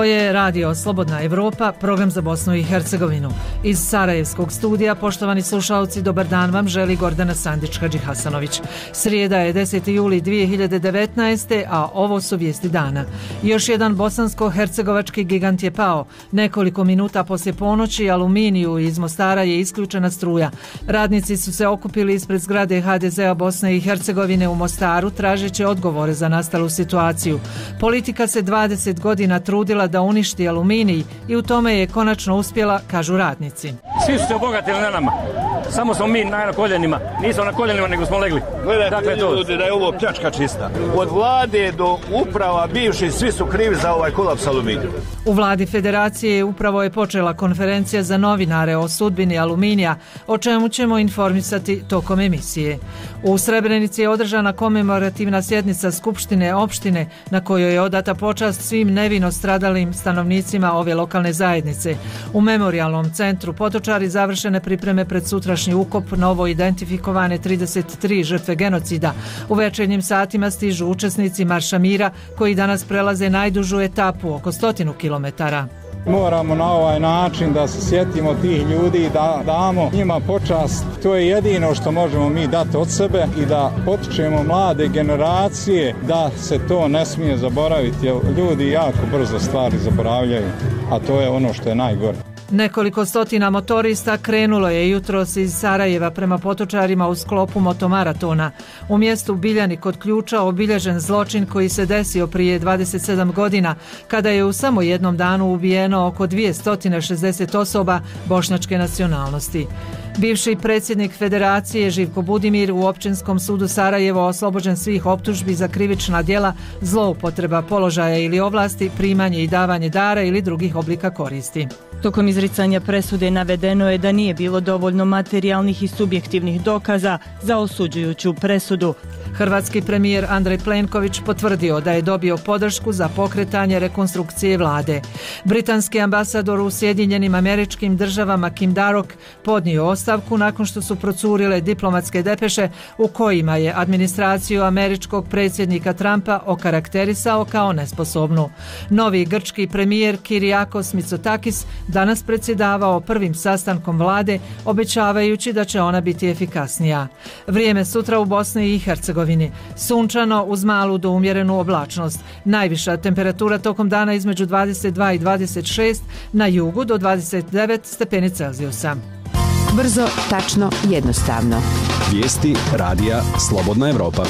je Radio Slobodna Evropa, program za Bosnu i Hercegovinu. Iz Sarajevskog studija, poštovani slušalci, dobar dan vam želi Gordana Sandić-Hadžihasanović. Srijeda je 10. juli 2019. a ovo su vijesti dana. Još jedan bosansko-hercegovački gigant je pao. Nekoliko minuta poslije ponoći Aluminiju iz Mostara je isključena struja. Radnici su se okupili ispred zgrade HDZ-a Bosne i Hercegovine u Mostaru tražeći odgovore za nastalu situaciju. Politika se 20 godina trudila da uništi Aluminij i u tome je konačno uspjela, kažu radnici. Svi su se obogatili na nama. Samo smo mi na koljenima. Nismo na koljenima, nego smo legli. Gledajte ljudi da je ovo pljačka čista. Od vlade do uprava bivši svi su krivi za ovaj kolaps Aluminija. U vladi federacije upravo je počela konferencija za novinare o sudbini Aluminija, o čemu ćemo informisati tokom emisije. U Srebrenici je održana komemorativna sjednica Skupštine opštine na kojoj je odata počast svim nevino stradalim stanovnicima ove lokalne zajednice. U memorijalnom centru Potočari završene pripreme pred sutrašnji ukop novo identifikovane 33 žrtve genocida. U večernjim satima stižu učesnici Marša mira koji danas prelaze najdužu etapu, oko 100 kilometara. Moramo na ovaj način da se sjetimo tih ljudi i da damo njima počast. To je jedino što možemo mi dati od sebe i da potičemo mlade generacije da se to ne smije zaboraviti. Ljudi jako brzo stvari zaboravljaju, a to je ono što je najgore. Nekoliko stotina motorista krenulo je jutros iz Sarajeva prema Potočarima u sklopu motomaratona. U mjestu Biljani kod Ključa obilježen zločin koji se desio prije 27 godina, kada je u samo jednom danu ubijeno oko 260 osoba bošnjačke nacionalnosti. Bivši predsjednik federacije Živko Budimir u Općinskom sudu Sarajevo oslobođen svih optužbi za krivična djela, zloupotreba položaja ili ovlasti, primanje i davanje dara ili drugih oblika koristi. Tokom izricanja presude navedeno je da nije bilo dovoljno materijalnih i subjektivnih dokaza za osuđujuću presudu. Hrvatski premijer Andrej Plenković potvrdio da je dobio podršku za pokretanje rekonstrukcije vlade. Britanski ambasador u Sjedinjenim Američkim Državama Kim Darroch podnio ostavku nakon što su procurile diplomatske depeše u kojima je administraciju američkog predsjednika Trumpa okarakterisao kao nesposobnu. Novi grčki premijer Kyriakos Mitsotakis danas predsjedavao prvim sastankom vlade, obećavajući da će ona biti efikasnija. Vrijeme sutra u Bosni i Hercegovini. Sunčano uz malu do umjerenu oblačnost. Najviša temperatura tokom dana između 22 i 26, na jugu do 29 stepeni Celzijusa. Brzo, tačno, jednostavno. Vijesti radija Slobodna Evropa.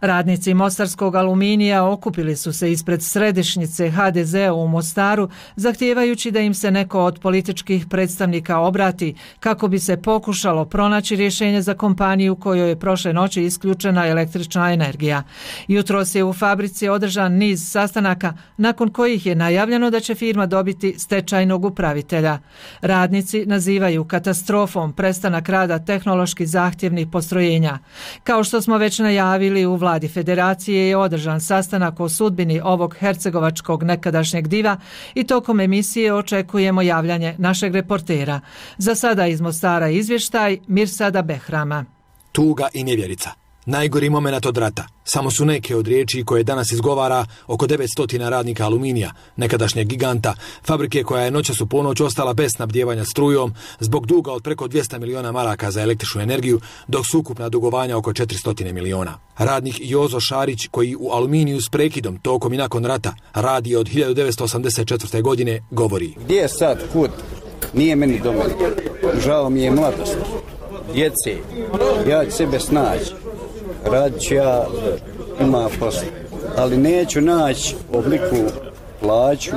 Radnici Mostarskog Aluminija okupili su se ispred središnjice HDZ-a u Mostaru, zahtijevajući da im se neko od političkih predstavnika obrati kako bi se pokušalo pronaći rješenje za kompaniju kojoj je prošle noći isključena električna energija. Jutros je u fabrici održan niz sastanaka nakon kojih je najavljeno da će firma dobiti stečajnog upravitelja. Radnici nazivaju katastrofom prestanak rada tehnološki zahtjevnih postrojenja. Kao što smo već najavili, u vladi federacije je održan sastanak o sudbini ovog hercegovačkog nekadašnjeg diva i tokom emisije očekujemo javljanje našeg reportera. Za sada iz Mostara izvještaj Mirsada Behrama. Tuga i nevjerica. Najgori moment od rata. Samo su neke od riječi koje danas izgovara oko 900 radnika Aluminija, nekadašnjeg giganta, fabrike koja je noćas u ponoć ostala bez snabdijevanja strujom zbog duga od preko 200 miliona maraka za električnu energiju, dok su ukupna dugovanja oko 400 miliona. Radnik Jozo Šarić, koji u Aluminiju s prekidom tokom i nakon rata radi od 1984. godine, govori: Gdje je sad, kud? Nije meni do mene. Žao mi je mladost, djece, ja ću sebe snaći. Radit ću ja, ima posla, ali neću naći obliku plaću,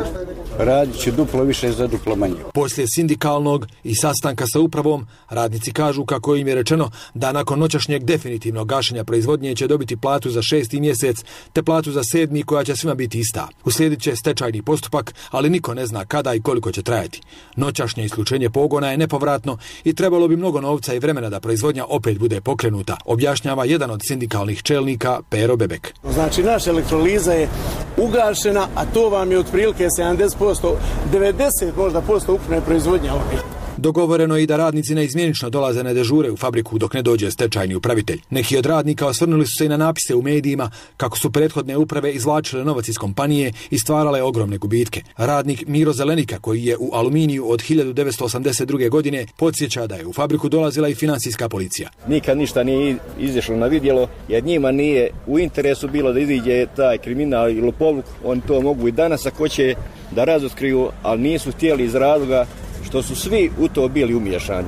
radit ću duplo više za duplo manje. Poslije sindikalnog i sastanka sa upravom, radnici kažu kako im je rečeno da nakon noćašnjeg definitivnog gašenja proizvodnje će dobiti platu za 6. mjesec, te platu za 7. koja će svima biti ista. Uslijedit će stečajni postupak, ali niko ne zna kada i koliko će trajati. Noćašnje isključenje pogona je nepovratno i trebalo bi mnogo novca i vremena da proizvodnja opet bude pokrenuta, objašnjava jedan od sindikalnih čelnika Pero Bebek. Znači naša elektroliza je ugašena, a to vam je otprilike 70%, 90% možda ukupne proizvodnje ovdje. Dogovoreno je i da radnici neizmjenično dolaze na dežure u fabriku dok ne dođe stečajni upravitelj. Neki od radnika osvrnuli su se i na napise u medijima kako su prethodne uprave izvlačile novac iz kompanije i stvarale ogromne gubitke. Radnik Miro Zelenika, koji je u Aluminiju od 1982. godine, podsjeća da je u fabriku dolazila i financijska policija. Nikad ništa nije izašlo na vidjelo, jer njima nije u interesu bilo da iziđe taj kriminal i lopovluk. Oni to mogu i danas ako će da razotkriju, ali nisu htjeli iz razloga što su svi u to bili umiješani.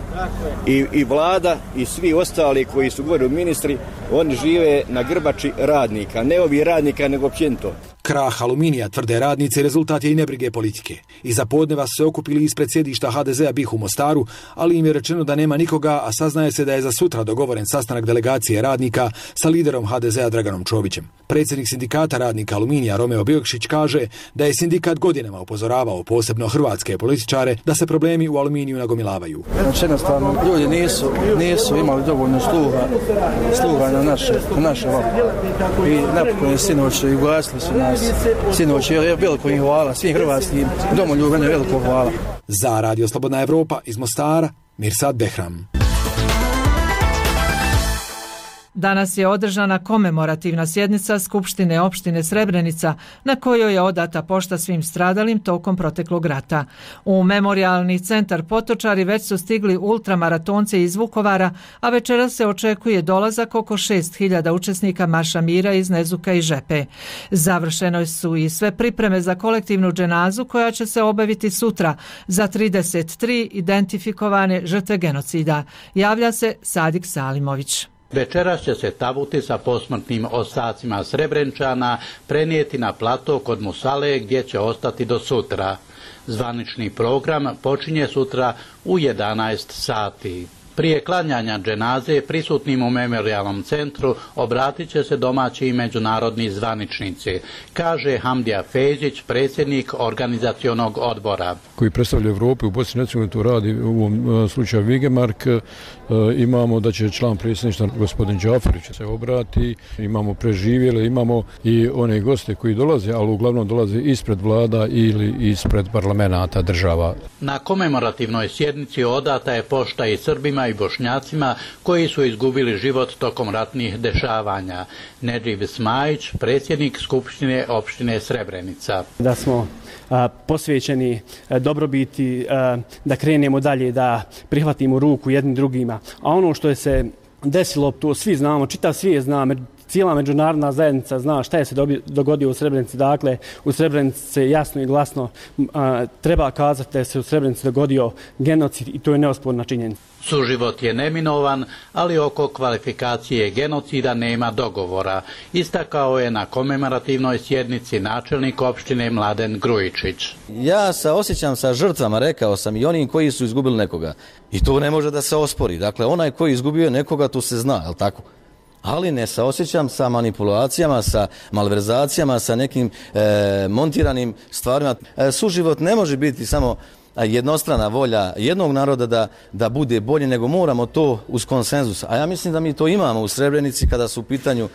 I vlada i svi ostali koji su govorili ministri, oni žive na grbači radnika, ne ovi radnika nego općenito. Krah Aluminija, tvrde radnici, rezultat je i nebrige politike. Iza podneva su se okupili ispred sjedišta HDZ-a BiH u Mostaru, ali im je rečeno da nema nikoga, a saznaje se da je za sutra dogovoren sastanak delegacije radnika sa liderom HDZ-a Draganom Čovićem. Predsjednik sindikata radnika Aluminija Romeo Biokšić kaže da je sindikat godinama upozoravao posebno hrvatske političare da se problemi u Aluminiju nagomilavaju. Znači jednostavno ljudi nisu imali dovoljno sluha na naše vlasti. I napokon je sinoć i ugasili su nas. Sinoć je veliko im hvala, svim hrvatskim domoljubima veliko hvala. Za Radio Slobodna Evropa iz Mostara, Mirsad Behram. Danas je održana komemorativna sjednica Skupštine opštine Srebrenica na kojoj je odata pošta svim stradalim tokom proteklog rata. U memorijalni centar Potočari već su stigli ultramaratonci iz Vukovara, a večeras se očekuje dolazak oko 6.000 učesnika Marša mira iz Nezuka i Žepe. Završeno su i sve pripreme za kolektivnu dženazu koja će se obaviti sutra za 33 identifikovane žrtve genocida. Javlja se Sadik Salimović. Večeras će se tabuti sa posmrtnim ostacima Srebrenčana prenijeti na plato kod Musale gdje će ostati do sutra. Zvanični program počinje sutra u 11 sati. Prije klanjanja dženaze prisutnim u memorijalnom centru obratit će se domaći i međunarodni zvaničnici, kaže Hamdija Fejzić, predsjednik organizacionog odbora. Koji predstavlja Evropu u Bosni i Hercegovini, to radi u ovom slučaju Vigemark. Imamo da će član predsjedništva gospodin Džaferić se obrati, imamo preživjele, imamo i one goste koji dolaze, ali uglavnom dolaze ispred vlada ili ispred parlamenata država. Na komemorativnoj sjednici odata je pošta i Srbima i Bošnjacima koji su izgubili život tokom ratnih dešavanja. Nedžib Smajić, predsjednik Skupštine opštine Srebrenica. Da smo posvećeni dobrobiti, da krenemo dalje, da prihvatimo ruku jednim drugima. A ono što je se desilo, to svi znamo, čitav svijet zna, cijela međunarodna zajednica zna šta je se dogodio u Srebrenici. Dakle, u Srebrenici se jasno i glasno treba kazati da se u Srebrenici dogodio genocid i to je neosporna činjenica. Suživot je neminovan, ali oko kvalifikacije genocida nema dogovora, istakao je na komemorativnoj sjednici načelnik opštine Mladen Grujičić. Ja se osjećam sa žrtvama, rekao sam, i onim koji su izgubili nekoga. I to ne može da se ospori. Dakle, onaj koji izgubio nekoga, to se zna, je li tako? Ali ne se osjećam sa manipulacijama, sa malverzacijama, sa nekim montiranim stvarima. Suživot ne može biti samo jednostrana volja jednog naroda da bude bolje, nego moramo to uz konsenzus. A ja mislim da mi to imamo u Srebrenici kada su u pitanju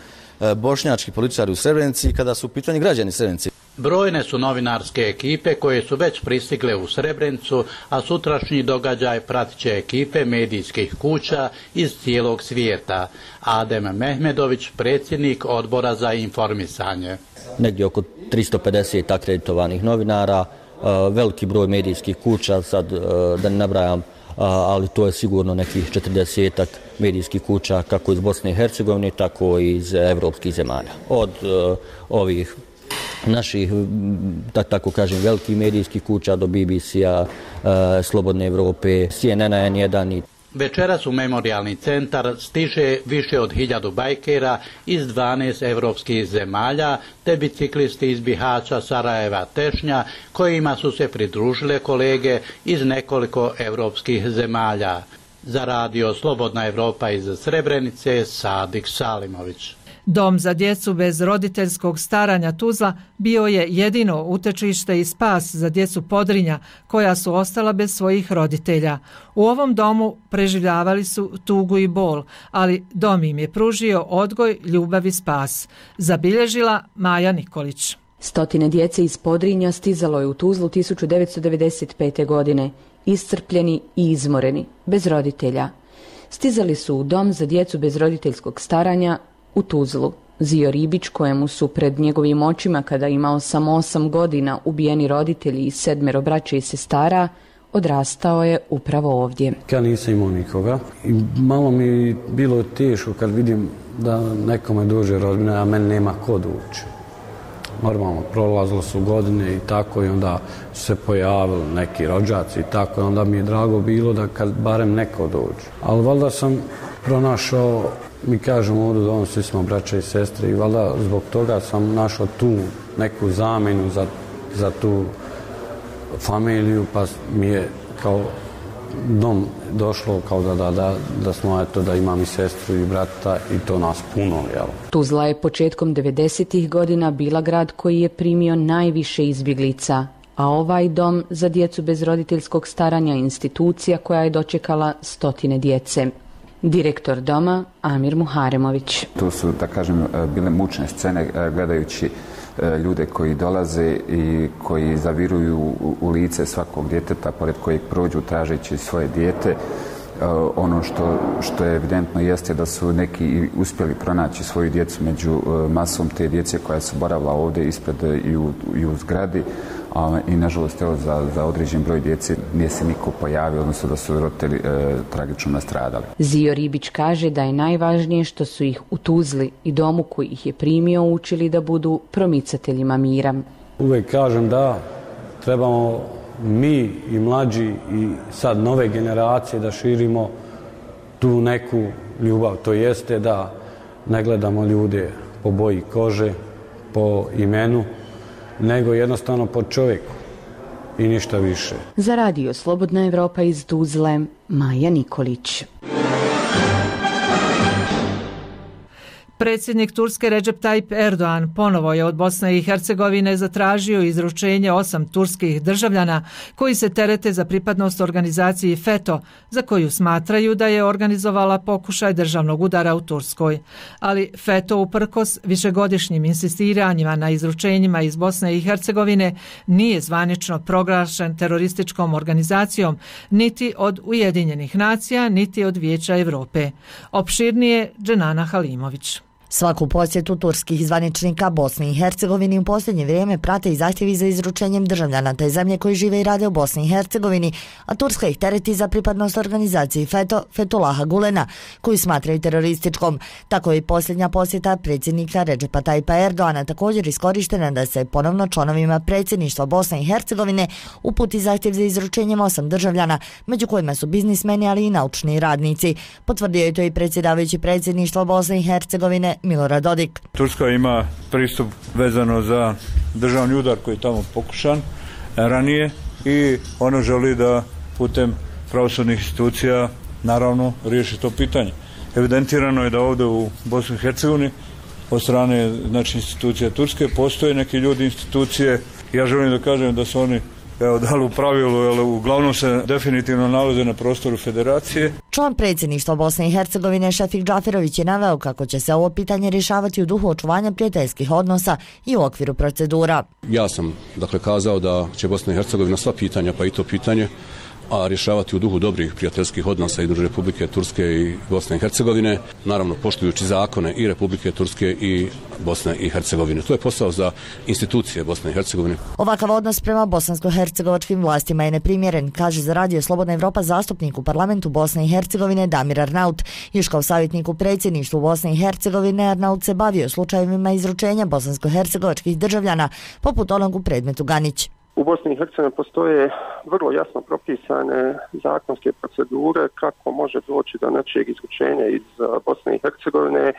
bošnjački političari u Srebrenici i kada su u pitanju građani Srebrenici. Brojne su novinarske ekipe koje su već pristigle u Srebrenicu, a sutrašnji događaj pratit će ekipe medijskih kuća iz cijelog svijeta. Adem Mehmedović, predsjednik odbora za informisanje. Negdje oko 350 akreditovanih novinara, veliki broj medijskih kuća, sad da ne nabrajam, ali to je sigurno nekih 40 medijskih kuća kako iz Bosne i Hercegovine, tako i iz evropskih zemalja. Od ovih naših, tako kažem, velikih medijskih kuća do BBC-a, Slobodne Evrope, CNN-a, N1. Večeras u memorijalni centar stiže više od 1000 bajkera iz 12 evropskih zemalja, te biciklisti iz Bihaća, Sarajeva, Tešnja, kojima su se pridružile kolege iz nekoliko evropskih zemalja. Za Radio Slobodna Evropa iz Srebrenice, Sadik Salimović. Dom za djecu bez roditeljskog staranja Tuzla bio je jedino utečište i spas za djecu Podrinja koja su ostala bez svojih roditelja. U ovom domu preživljavali su tugu i bol, ali dom im je pružio odgoj, ljubav i spas. Zabilježila Maja Nikolić. Stotine djece iz Podrinja stizalo je u Tuzlu 1995. godine, iscrpljeni i izmoreni, bez roditelja. Stizali su u dom za djecu bez roditeljskog staranja u Tuzlu. Zio Ribić, kojemu su pred njegovim očima, kada imao samo 8 godina, ubijeni roditelji i 7 braće i sestara, odrastao je upravo ovdje. Ja nisam imao nikoga i malo mi bilo teško kad vidim da nekome dođe rodbina, a meni nema ko doći. Normalno, prolazilo su godine i tako i onda su se pojavili neki rođaci i tako i onda mi je drago bilo da kad barem neko dođe. Ali valjda sam pronašao, mi kažemo ovdje da svi smo braća i sestre i valjda zbog toga sam našao tu neku zamjenu za tu familiju, pa mi je kao dom došlo kao da smo eto da imam i sestru i brata i to nas puno, jel? Tuzla je početkom 90. godina bila grad koji je primio najviše izbjeglica, a ovaj dom za djecu bez roditeljskog staranja je institucija koja je dočekala stotine djece. Direktor doma Amir Muharemović. To su, da kažem, bile mučne scene gledajući ljude koji dolaze i koji zaviruju u lice svakog djeteta pored kojeg prođu tražeći svoje dijete. Ono što je evidentno jeste da su neki uspjeli pronaći svoju djecu među masom te djece koja su boravila ovdje ispred i u zgradi. I nažalost evo za određen broj djece nije se niko pojavio, odnosno da su roditelji tragično nastradali. Zio Ribić kaže da je najvažnije što su ih u Tuzli i domu koji ih je primio učili da budu promicateljima mira. Uvijek kažem da trebamo mi i mlađi i sad nove generacije da širimo tu neku ljubav. To jeste da ne gledamo ljude po boji kože, po imenu, nego jednostavno po čovjeku i ništa više. Za radio Slobodna Evropa iz Tuzle, Maja Nikolić. Predsjednik Turske Recep Tayyip Erdogan ponovo je od Bosne i Hercegovine zatražio izručenje 8 turskih državljana koji se terete za pripadnost organizaciji FETÖ, za koju smatraju da je organizovala pokušaj državnog udara u Turskoj. Ali FETÖ uprkos višegodišnjim insistiranjima na izručenjima iz Bosne i Hercegovine nije zvanično proglašen terorističkom organizacijom niti od Ujedinjenih nacija, niti od Vijeća Europe. Opširnije Dženana Halimović. Svaku posjetu turskih zvaničnika Bosni i Hercegovini u posljednje vrijeme prate i zahtjevi za izručenjem državljana te zemlje koji žive i rade u Bosni i Hercegovini, a Turska ih tereti za pripadnost organizaciji FETÖ, Fethullaha Gulena, koju smatraju terorističkom. Tako je i posljednja posjeta predsjednika Recepa Tayyipa Erdogana također iskorištena da se ponovno članovima predsjedništva Bosne i Hercegovine uputi zahtjev za izručenjem 8 državljana, među kojima su biznismeni, ali i naučni radnici. Potvrdio je to i predsjedavajući predsjedništva Bosne i Hercegovine Milorad Dodik. Turska ima pristup vezano za državni udar koji je tamo pokušan ranije i ono želi da putem pravosudnih institucija naravno riješi to pitanje. Evidentirano je da ovdje u Bosni i Hercegovini od strane institucija Turske postoje neki ljudi, institucije. Ja želim da kažem da su oni dali u pravilu, ali uglavnom se definitivno nalaze na prostoru federacije. Član predsjedništva Bosne i Hercegovine Šefik Džaferović je naveo kako će se ovo pitanje rješavati u duhu očuvanja prijateljskih odnosa i u okviru procedura. Ja sam kazao da će Bosna i Hercegovina sva pitanja, pa i to pitanje, a rješavati u duhu dobrih prijateljskih odnosa između Republike Turske i Bosne i Hercegovine, naravno poštujući zakone i Republike Turske i Bosne i Hercegovine. To je posao za institucije Bosne i Hercegovine. Ovakav odnos prema bosansko-hercegovačkim vlastima je neprimjeren, kaže za radio Slobodna Evropa zastupnik u parlamentu Bosne i Hercegovine Damir Arnaut. Još kao savjetnik u predsjedništvu Bosne i Hercegovine Arnaut se bavio slučajevima izručenja bosansko-hercegovačkih državljana, poput onog u predmetu Ganić. U Bosni i Hercegovini postoje vrlo jasno propisane zakonske procedure kako može doći do nečijeg izručenja iz Bosne i Hercegovine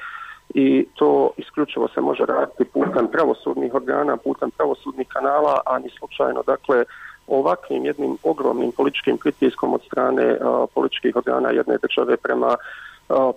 i to isključivo se može raditi putem pravosudnih organa, putem pravosudnih kanala, a ni slučajno. Dakle, ovakvim jednim ogromnim političkim pritiskom od strane političkih organa jedne države prema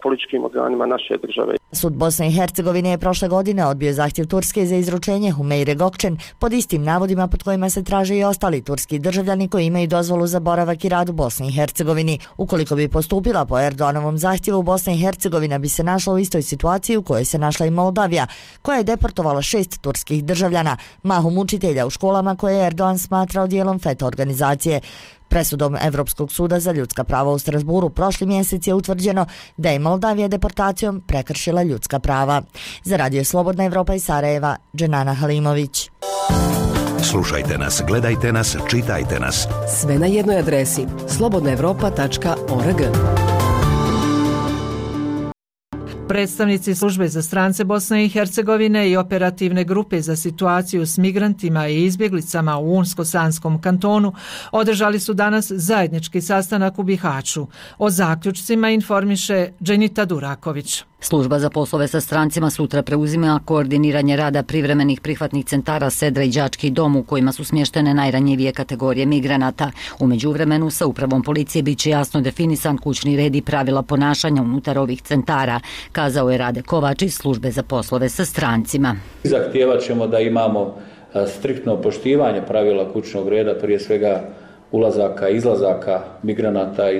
političkim organima naše države. Sud Bosne i Hercegovine je prošle godine odbio zahtjev Turske za izručenje Humeire Gokčen pod istim navodima pod kojima se traže i ostali turski državljani koji imaju dozvolu za boravak i rad u Bosni i Hercegovini. Ukoliko bi postupila po Erdoganovom zahtjevu, Bosna i Hercegovina bi se našla u istoj situaciji u kojoj se našla i Moldavija, koja je deportovala 6 turskih državljana, mahom učitelja u školama koje je Erdogan smatrao dijelom FETA organizacije. Presudom Evropskog suda za ljudska prava u Strasburu prošli mjesec je utvrđeno da je Moldavija deportacijom prekršila ljudska prava. Za Radio Slobodna Evropa iz Sarajeva, Dženana Halimović. Slušajte nas, gledajte nas, čitajte nas. Sve na jednoj adresi slobodnaevropa.org. Predstavnici službe za strance Bosne i Hercegovine i operativne grupe za situaciju s migrantima i izbjeglicama u Unsko-Sanskom kantonu održali su danas zajednički sastanak u Bihaću. O zaključcima informiše Dženita Duraković. Služba za poslove sa strancima sutra preuzima koordiniranje rada privremenih prihvatnih centara Sedra i Đački dom u kojima su smještene najranjivije kategorije migranata. U međuvremenu sa upravom policije bit će jasno definisan kućni red i pravila ponašanja unutar ovih centara, kazao je Rade Kovač iz službe za poslove sa strancima. Zahtijevat ćemo da imamo striktno poštivanje pravila kućnog reda, prije svega ulazaka i izlazaka migranata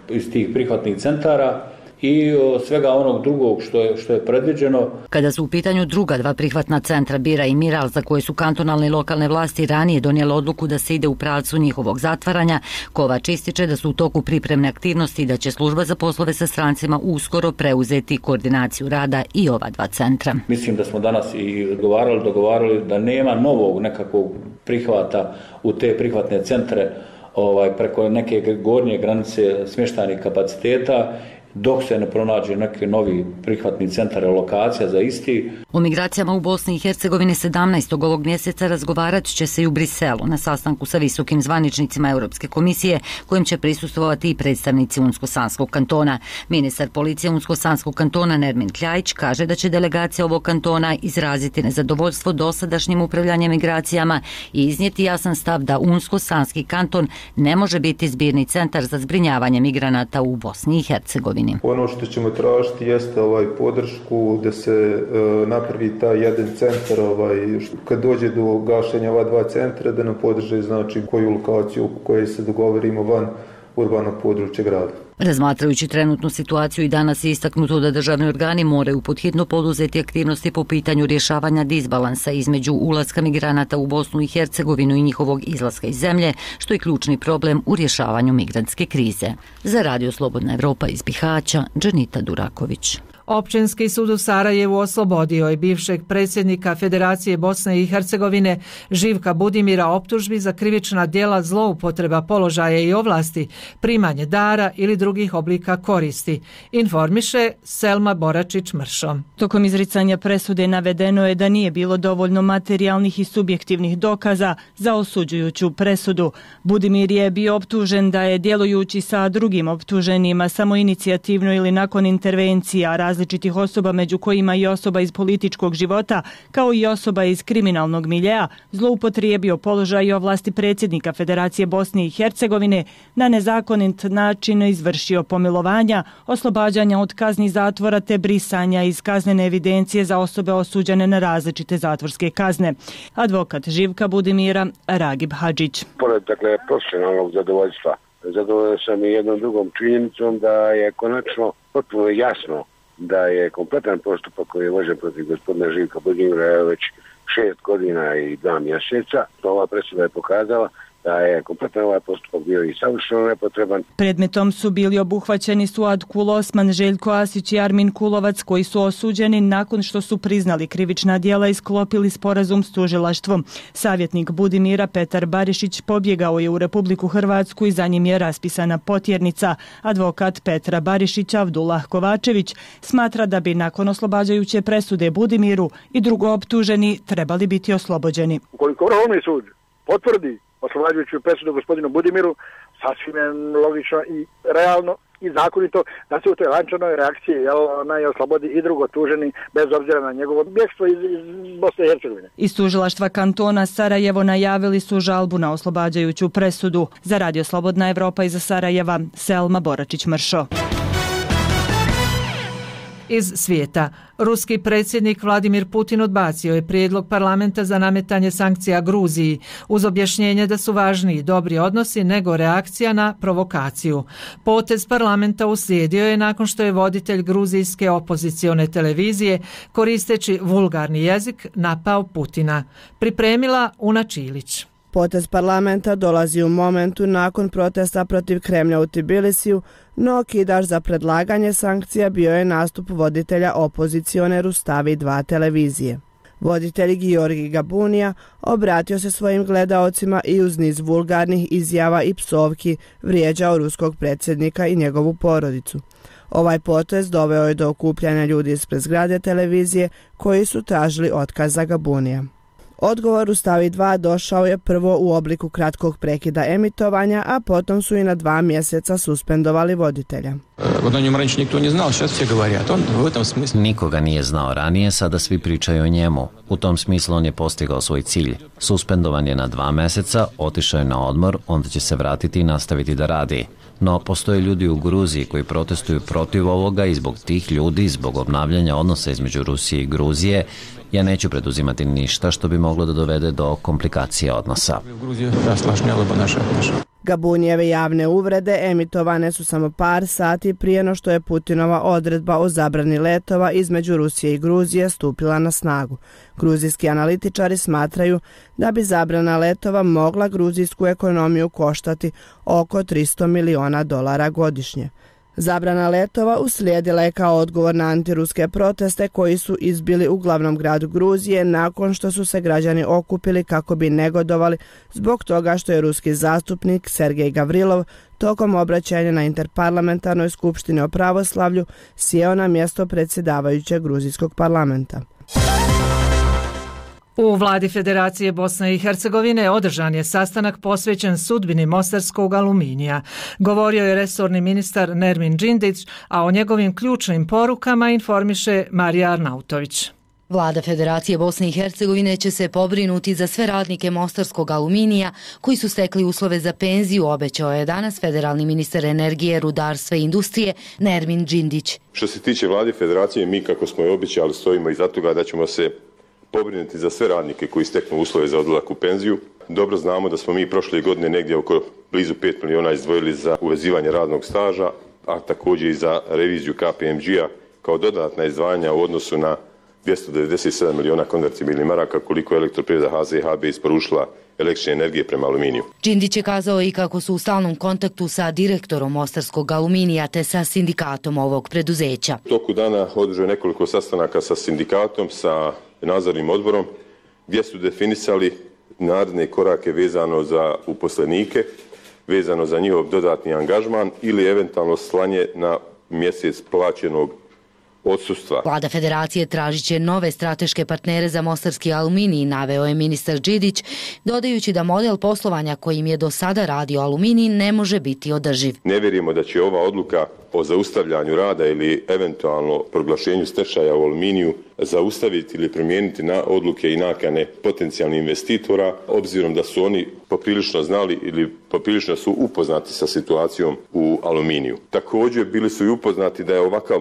iz tih prihvatnih centara i svega onog drugog što je predviđeno. Kada su u pitanju druga 2 prihvatna centra Bira i Miral, za koje su kantonalne i lokalne vlasti ranije donijele odluku da se ide u pravcu njihovog zatvaranja, Kovač ističe da su u toku pripremne aktivnosti i da će služba za poslove sa strancima uskoro preuzeti koordinaciju rada i ova 2 centra. Mislim da smo danas i dogovarali da nema novog nekakvog prihvata u te prihvatne centre preko neke gornje granice smještajnih kapaciteta, dok se ne pronađe neki novi prihvatni centar lokacija za isti. O migracijama u Bosni i Hercegovini 17. ovog mjeseca razgovarat će se i u Briselu na sastanku sa visokim zvaničnicima Europske komisije, kojim će prisustvovati i predstavnici Unsko-Sanskog kantona. Ministar policije Unsko-Sanskog kantona Nermin Kljajić kaže da će delegacija ovog kantona izraziti nezadovoljstvo dosadašnjim upravljanjem migracijama i iznijeti jasan stav da Unsko-Sanski kanton ne može biti zbirni centar za zbrinjavanje migranata u Bosni i Hercegovini. Ono što ćemo tražiti jeste podršku da se napravi taj jedan centar, kad dođe do gašenja ova 2 centra, da nam podrže koju lokaciju u kojoj se dogovorimo van urbanog područja grada. Razmatrajući trenutnu situaciju i danas je istaknuto da državni organi moraju podhitno poduzeti aktivnosti po pitanju rješavanja disbalansa između ulaska migranata u Bosnu i Hercegovinu i njihovog izlaska iz zemlje, što je ključni problem u rješavanju migrantske krize. Za Radio Slobodna Evropa iz Bihaća, Dženita Duraković. Općinski sud u Sarajevu oslobodio je bivšeg predsjednika Federacije Bosne i Hercegovine Živka Budimira optužbi za krivična djela zloupotreba položaja i ovlasti, primanje dara ili drugih oblika koristi, informiše Selma Boračić-Mršo. Tokom izricanja presude navedeno je da nije bilo dovoljno materijalnih i subjektivnih dokaza za osuđujuću presudu. Budimir je bio optužen da je, djelujući sa drugim optuženima samoinicijativno ili nakon intervencija različitih osoba, među kojima i osoba iz političkog života, kao i osoba iz kriminalnog miljea, zloupotrijebio položaj i ovlasti predsjednika Federacije Bosne i Hercegovine, na nezakonit način izvršio pomilovanja, oslobađanja od kazni zatvora te brisanja iz kaznene evidencije za osobe osuđene na različite zatvorske kazne. Advokat Živka Budimira Ragib Hadžić. Pored profesionalnog zadovoljstva, zadovoljan sam i jednom drugom činjenicom da je konačno potpuno jasno da je kompletan postupak koji je vođen protiv gospodina Živka Budimira već 6 godina i 2 mjeseca. Ova presuda je pokazala da je kompletan ovaj postupak bio i savršeno nepotreban. Predmetom su bili obuhvaćeni Suad Kul Osman, Željko Asić i Armin Kulovac, koji su osuđeni nakon što su priznali krivična djela i sklopili sporazum s tužilaštvom. Savjetnik Budimira Petar Barišić pobjegao je u Republiku Hrvatsku i za njim je raspisana potjernica. Advokat Petra Barišića Avdullah Kovačević smatra da bi nakon oslobađajuće presude Budimiru i drugo optuženi trebali biti oslobođeni. Ukoliko Vrhovni sud potvrdi oslobađajuću presudu gospodinu Budimiru, sasvim je logično i realno i zakonito da se u toj lančanoj reakciji onaj oslobodi i drugo tuženi bez obzira na njegovo bjegstvo iz Bosne i Hercegovine. Iz tužilaštva kantona Sarajevo najavili su žalbu na oslobađajuću presudu. Za Radio Slobodna Evropa iz Sarajeva, Selma Boračić-Mršo. Iz svijeta. Ruski predsjednik Vladimir Putin odbacio je prijedlog parlamenta za nametanje sankcija Gruziji uz objašnjenje da su važniji dobri odnosi nego reakcija na provokaciju. Potez parlamenta uslijedio je nakon što je voditelj gruzijske opozicione televizije koristeći vulgarni jezik napao Putina. Pripremila Una Čilić. Potez parlamenta dolazi u momentu nakon protesta protiv Kremlja u Tbilisiju, no okidač za predlaganje sankcija bio je nastup voditelja opozicione Rustavi 2 televizije. Voditelj Giorgi Gabunija obratio se svojim gledaocima i uz niz vulgarnih izjava i psovki vrijeđao ruskog predsjednika i njegovu porodicu. Ovaj potez doveo je do okupljanja ljudi ispred zgrade televizije koji su tražili otkaz za Gabunija. Odgovor u Stavi 2 došao je prvo u obliku kratkog prekida emitovanja, a potom su i na 2 mjeseca suspendovali voditelja. Nikoga nije znao ranije, sada svi pričaju o njemu. U tom smislu on je postigao svoj cilj. Suspendovan je na 2 mjeseca, otišao je na odmor, onda će se vratiti i nastaviti da radi. No, postoje ljudi u Gruziji koji protestuju protiv ovoga i zbog tih ljudi, zbog obnavljanja odnosa između Rusije i Gruzije, ja neću preduzimati ništa što bi moglo da dovede do komplikacije odnosa. Gabunijeve javne uvrede emitovane su samo par sati prije no što je Putinova odredba o zabrani letova između Rusije i Gruzije stupila na snagu. Gruzijski analitičari smatraju da bi zabrana letova mogla gruzijsku ekonomiju koštati oko $300 miliona godišnje. Zabrana letova uslijedila je kao odgovor na antiruske proteste koji su izbili u glavnom gradu Gruzije nakon što su se građani okupili kako bi negodovali zbog toga što je ruski zastupnik Sergej Gavrilov tokom obraćanja na interparlamentarnoj skupštini o pravoslavlju sjeo na mjesto predsjedavajućeg gruzijskog parlamenta. U vladi Federacije Bosne i Hercegovine održan je sastanak posvećen sudbini mostarskog aluminija. Govorio je resorni ministar Nermin Džindić, a o njegovim ključnim porukama informiše Marija Arnautović. Vlada Federacije Bosne i Hercegovine će se pobrinuti za sve radnike mostarskog aluminija koji su stekli uslove za penziju, obećao je danas federalni ministar energije, rudarstva i industrije Nermin Džindić. Što se tiče vlade Federacije, mi kako smo je obećali stojimo iza toga da ćemo se pobrinuti za sve radnike koji steknu uslove za odlazak u penziju. Dobro znamo da smo mi prošle godine negdje oko blizu 5 miliona izdvojili za uvezivanje radnog staža, a također i za reviziju KPMG-a kao dodatna izdvajanja u odnosu na 297 miliona konvertibilnih maraka koliko je Elektroprivreda HZHB isporučila električne energije prema aluminiju. Džindić je kazao i kako su u stalnom kontaktu sa direktorom mostarskog aluminija te sa sindikatom ovog preduzeća. U toku dana održao je nekoliko sastanaka sa sindikatom, sa nadzornim odborom gdje su definisali naredne korake vezano za uposlenike, vezano za njihov dodatni angažman ili eventualno slanje na mjesec plaćenog odsustva. Vlada Federacije tražit će nove strateške partnere za mostarski aluminij, naveo je ministar Džidić, dodajući da model poslovanja kojim je do sada radio aluminij ne može biti održiv. Ne vjerujemo da će ova odluka o zaustavljanju rada ili eventualno proglašenju stečaja u aluminiju zaustaviti ili promijeniti na odluke i nakane potencijalnih investitora, obzirom da su oni poprilično znali ili poprilično su upoznati sa situacijom u aluminiju. Također bili su i upoznati da je ovakav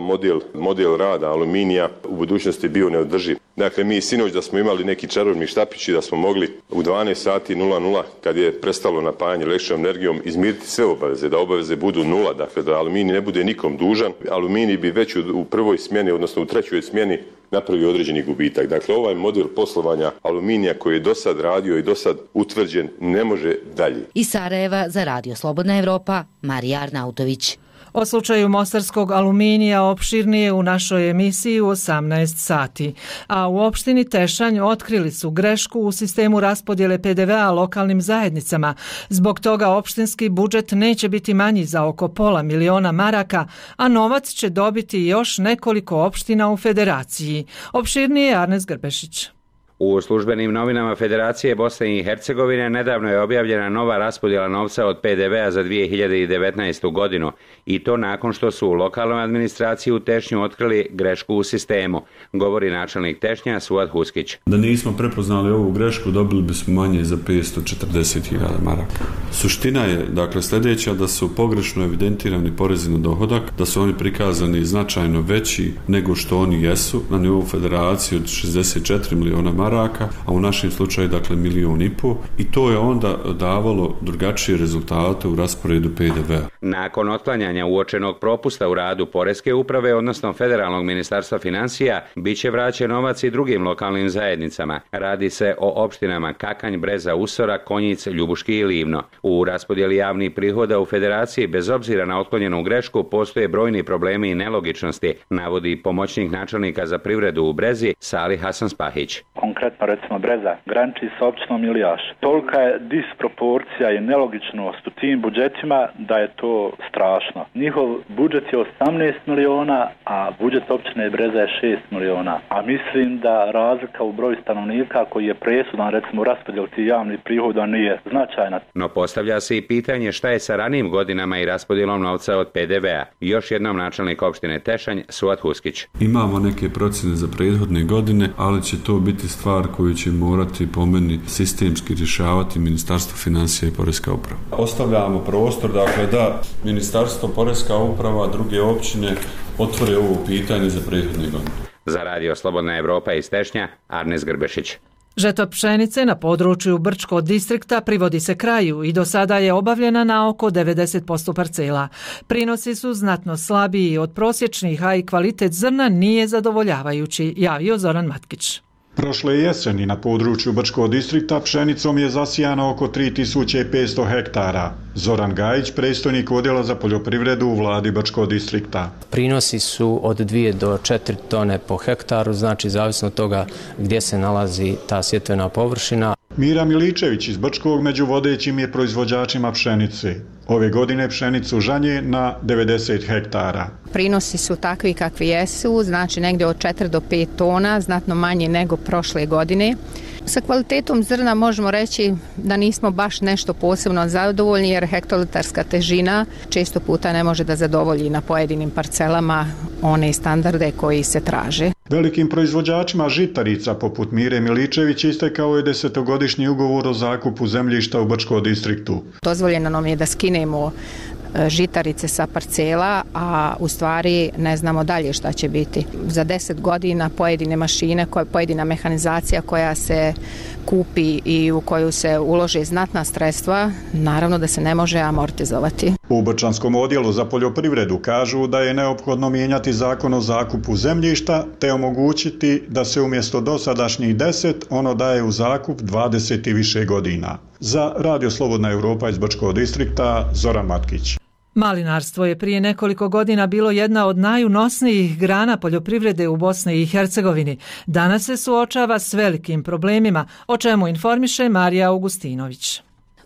model rada aluminija u budućnosti bio neodrživ. Dakle, mi sinoć da smo imali neki čarobni štapić i da smo mogli u 12 sati 00 kad je prestalo napajanje električnom energijom izmiriti sve obaveze, da obaveze budu nula, dakle da aluminij ne bude nikom dužan. Aluminij bi već u prvoj smjeni, odnosno u trećoj smjeni napravio određeni gubitak. Dakle, ovaj model poslovanja aluminija koji je do sad radio i do sad utvrđen ne može dalje. Iz Sarajeva za Radio Slobodna Evropa, Marija Arnautović. O slučaju mostarskog aluminija opširnije u našoj emisiji u 18 sati. A u opštini Tešanj otkrili su grešku u sistemu raspodjele PDV-a lokalnim zajednicama. Zbog toga opštinski budžet neće biti manji za oko $500 000, a novac će dobiti još nekoliko opština u federaciji. Opširnije Arnes Grbešić. U službenim novinama Federacije Bosne i Hercegovine nedavno je objavljena nova raspodjela novca od PDV-a za 2019. godinu i to nakon što su u lokalnoj administraciji u Tešnju otkrili grešku u sistemu, govori načelnik Tešnja Suad Huskić. Da nismo prepoznali ovu grešku, dobili bismo manje za 540.000 maraka. Suština je, dakle, sljedeća, da su pogrešno evidentirani porezi na dohodak, da su oni prikazani značajno veći nego što oni jesu na nivou federacije od 64 miliona maraka, a u našem slučaju, dakle, 1,5 miliona i to je onda davalo drugačije rezultate u rasporedu PDV-a. Nakon otklanjanja uočenog propusta u radu Poreske uprave, odnosno Federalnog ministarstva financija, bit će vraćen novac i drugim lokalnim zajednicama. Radi se o opštinama Kakanj, Breza, Usora, Konjic, Ljubuški i Livno. U raspodjeli javnih prihoda u Federaciji, bez obzira na otklonjenu grešku, postoje brojni problemi i nelogičnosti, navodi pomoćnik načelnika za privredu u Brezi, Salih Hasan Spahić. Konkretno, recimo, Breza graniči sa opštinom Iljaš. Tolika je disproporcija i nelogičnost u tim budžetima da je to strašno. Njihov budžet je 18 miliona, a budžet opštine Breza je 6 miliona. A mislim da razlika u broju stanovnika koji je presudan, recimo, u raspodjeli tih javnih prihoda nije značajna. No postavlja se i pitanje šta je sa ranijim godinama i raspodjelom novca od PDV-a. Još jednom načelnik opštine Tešanj, Suad Huskić. Imamo neke procjene za prethodne godine, ali će to biti stvar koju će morati po meni sistemski rješavati Ministarstvo financija i Poreska uprava. Ostavljamo prostor, dakle, da Ministarstvo, Poreska uprava, druge općine otvore ovo pitanje za prethodne godine. Za Radio Slobodna Evropa iz Tešnja, Arnes Grbešić. Žetva pšenice na području Brčkog distrikta privodi se kraju i do sada je obavljena na oko 90% parcela. Prinosi su znatno slabiji od prosječnih, a i kvalitet zrna nije zadovoljavajući, javio Zoran Matkić. Prošle jeseni na području Brčkog distrikta pšenicom je zasijano oko 3500 hektara. Zoran Gajić, predstojnik odjela za poljoprivredu u vladi Brčkog distrikta. Prinosi su od 2 do 4 tone po hektaru, znači zavisno od toga gdje se nalazi ta sjetvena površina. Mira Miličević iz Brčkog među vodećim je proizvođačima pšenice. Ove godine pšenicu žanje na 90 hektara. Prinosi su takvi kakvi jesu, znači negdje od 4 do 5 tona, znatno manje nego prošle godine. Sa kvalitetom zrna možemo reći da nismo baš nešto posebno zadovoljni jer hektolitarska težina često puta ne može da zadovolji na pojedinim parcelama one standarde koji se traže. Velikim proizvođačima žitarica poput Mire Miličević istekao je 10-godišnji ugovor o zakupu zemljišta u Brčkom distriktu. Dozvoljeno nam je da skinemo žitarice sa parcela, a u stvari ne znamo dalje šta će biti. Za 10 godina pojedine mašine, pojedina mehanizacija koja se kupi i u koju se ulože znatna sredstva, naravno da se ne može amortizovati. U Brčanskom odjelu za poljoprivredu kažu da je neophodno mijenjati zakon o zakupu zemljišta te omogućiti da se umjesto dosadašnjih 10 ono daje u zakup 20 i više godina. Za Radio Slobodna Evropa iz Brčkog distrikta, Zoran Matkić. Malinarstvo je prije nekoliko godina bilo jedna od najunosnijih grana poljoprivrede u Bosni i Hercegovini. Danas se suočava s velikim problemima, o čemu informiše Marija Augustinović.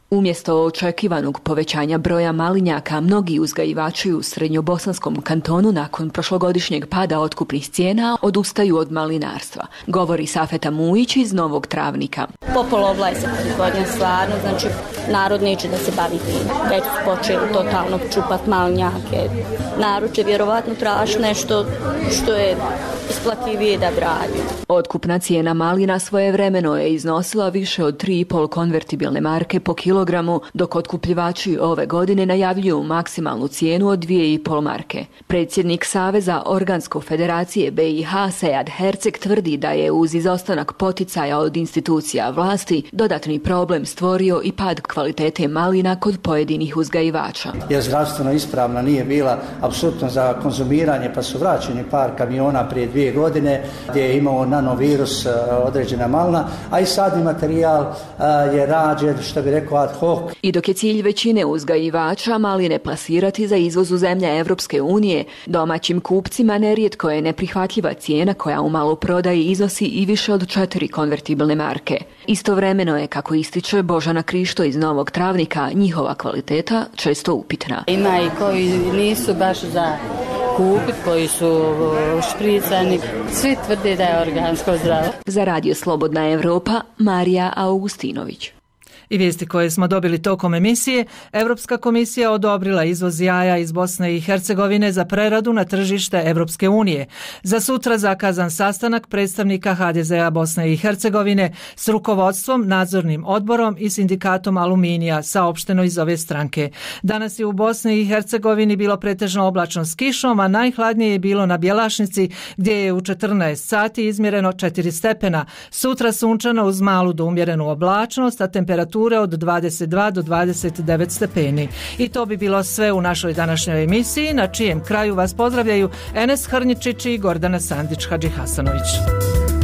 Umjesto očekivanog povećanja broja malinjaka, mnogi uzgajivači u srednjobosanskom kantonu nakon prošlogodišnjeg pada otkupnih cijena odustaju od malinarstva, govori Safeta Mujić iz Novog Travnika. Popolovla je se proizvodnja stvarno, znači narod neće da se bavi tim. Već su počeli totalno čupat malinjake. Narod će vjerovatno traži nešto što je isplativije da bradi. Otkupna cijena malina svojevremeno je iznosila više od 3,5 konvertibilne marke po kilogramu, dok otkupljivači ove godine najavljuju maksimalnu cijenu od 2,5 marke. Predsjednik Saveza Organsko federacije BiH Sejad Herceg tvrdi da je uz izostanak poticaja od institucija vlasti dodatni problem stvorio i pad kvalitete malina kod pojedinih uzgajivača. Jer zdravstveno ispravna nije bila apsolutno za konzumiranje, pa su vraćeni par kamiona prije 2 godine gdje je imao nanovirus određena malina, a i sadni materijal je rađen, što bi rekao, ad hoc. I dok je cilj većine uzgajivača maline plasirati za izvoz u zemlje Evropske unije, domaćim kupcima nerijetko je neprihvatljiva cijena koja u maloprodaji iznosi i više od 4 konvertibilne marke. Istovremeno je, kako ističe Božana Krišto iz Novog Travnika, njihova kvaliteta često upitna. Ima i koji nisu baš za kupiti, koji su špricani. Svi tvrde da je organsko zdravo. Za Radio Slobodna Evropa, Marija Augustinović. I vijesti koje smo dobili tokom emisije, Europska komisija odobrila izvoz jaja iz Bosne i Hercegovine za preradu na tržište Europske unije. Za sutra zakazan sastanak predstavnika HDZ-a Bosne i Hercegovine s rukovodstvom, nadzornim odborom i sindikatom aluminija, saopšteno iz ove stranke. Danas je u Bosni i Hercegovini bilo pretežno oblačno s kišom, a najhladnije je bilo na Bjelašnici gdje je u 14 sati izmjereno 4 stepena. Sutra sunčano uz malu do umjerenu oblačnost, a temperatura od 22 do 29 stepeni. I to bi bilo sve u našoj današnjoj emisiji, na čijem kraju vas pozdravljaju Enes Hrnjičić i Gordana Sandić-Hadžihasanović.